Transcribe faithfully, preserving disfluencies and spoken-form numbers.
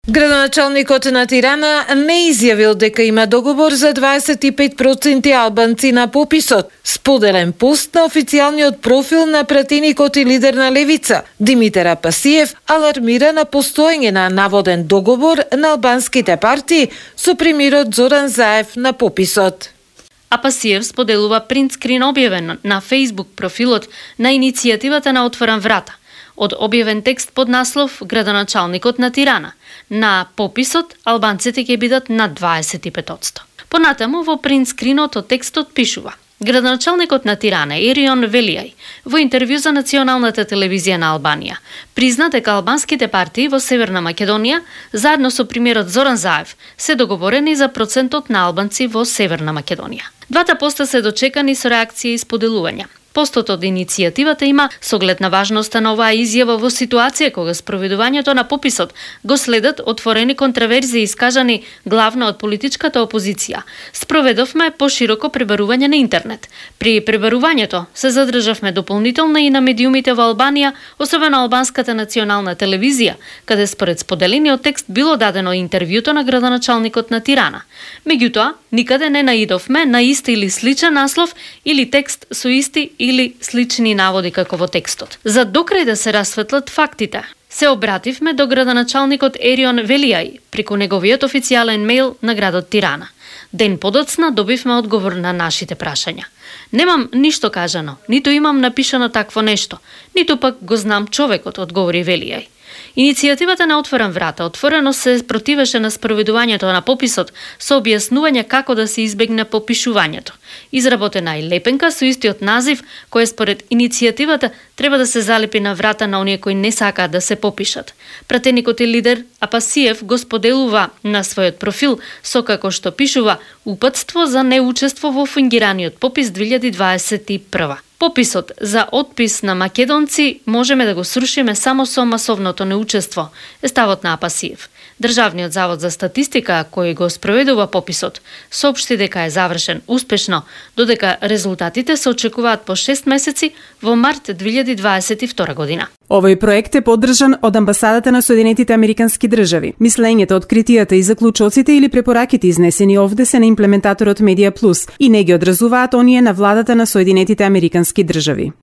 Градоначалникот на Тирана не изјавил дека има договор за дваесет и пет проценти албанци на пописот. Споделен пост на официјалниот профил на пратеникот и лидер на Левица, Димитар Апасиев, алармира на постоење на наводен договор на албанските партии со премиерот Зоран Заев на пописот. Апасиев споделува принтскрин објавен на Facebook профилот на иницијативата на Отворам врата, од објавен текст под наслов Градоначалникот на Тирана. На пописот албанците ќе бидат на дваесет и пет одсто. Понатаму во принтскринот од текстот пишува: Градоначалникот на Тирана Ерион Велијај во интервју за националната телевизија на Албанија призна дека албанските партии во Северна Македонија заедно со премиерот Зоран Заев се договорени за процентот на албанци во Северна Македонија. Двата поста се дочекани со реакција и споделувања. Постот од иницијативата има со оглед на важноста на оваа изјава во ситуација кога спроведувањето на пописот го следат отворени контраверзии искажани главно од политичката опозиција. Спроведовме пошироко пребарување на интернет. При пребарувањето се задржавме дополнително и на медиумите во Албанија, особено албанската национална телевизија, каде според споделениот текст било дадено интервјуто на градоначалникот на Тирана. Меѓутоа, никаде не наидовме на ист или сличен наслов или текст со исти или слични наводи како во текстот. За докрај да се расветлат фактите, се обративме до градоначалникот Ерион Велијај преку неговиот официјален мејл на градот Тирана. Ден подоцна добивме одговор на нашите прашања. Немам ништо кажано, ниту имам напишано такво нешто, ниту пак го знам човекот, одговори Велијај. Иницијативата на Отворам врата отворено се противеше на спроведувањето на пописот со објаснување како да се избегне попишувањето. Изработена е лепенка со истиот назив, која според иницијативата треба да се залепи на врата на оние кои не сакаат да се попишат. Пратеникот и лидер Апасиев го споделува на својот профил со како што пишува упатство за неучество во фингираниот попис две илјади дваесет и прва. Пописот за отпис на македонци можеме да го срушиме само со масовното неучество, е ставот на Апасиев. Државниот завод за статистика, кој го спроведува пописот, соопшти дека е завршен успешно, додека резултатите се очекуваат по шест месеци во март две илјади дваесет и втора година. Овој проект е поддржан од Амбасадата на Соединетите Американски држави. Мислењето, откритијата и заклучоците или препораките изнесени овде се на имплементаторот Медија Плюс и не ги одразуваат оние на владата на Соединетите Американски држави.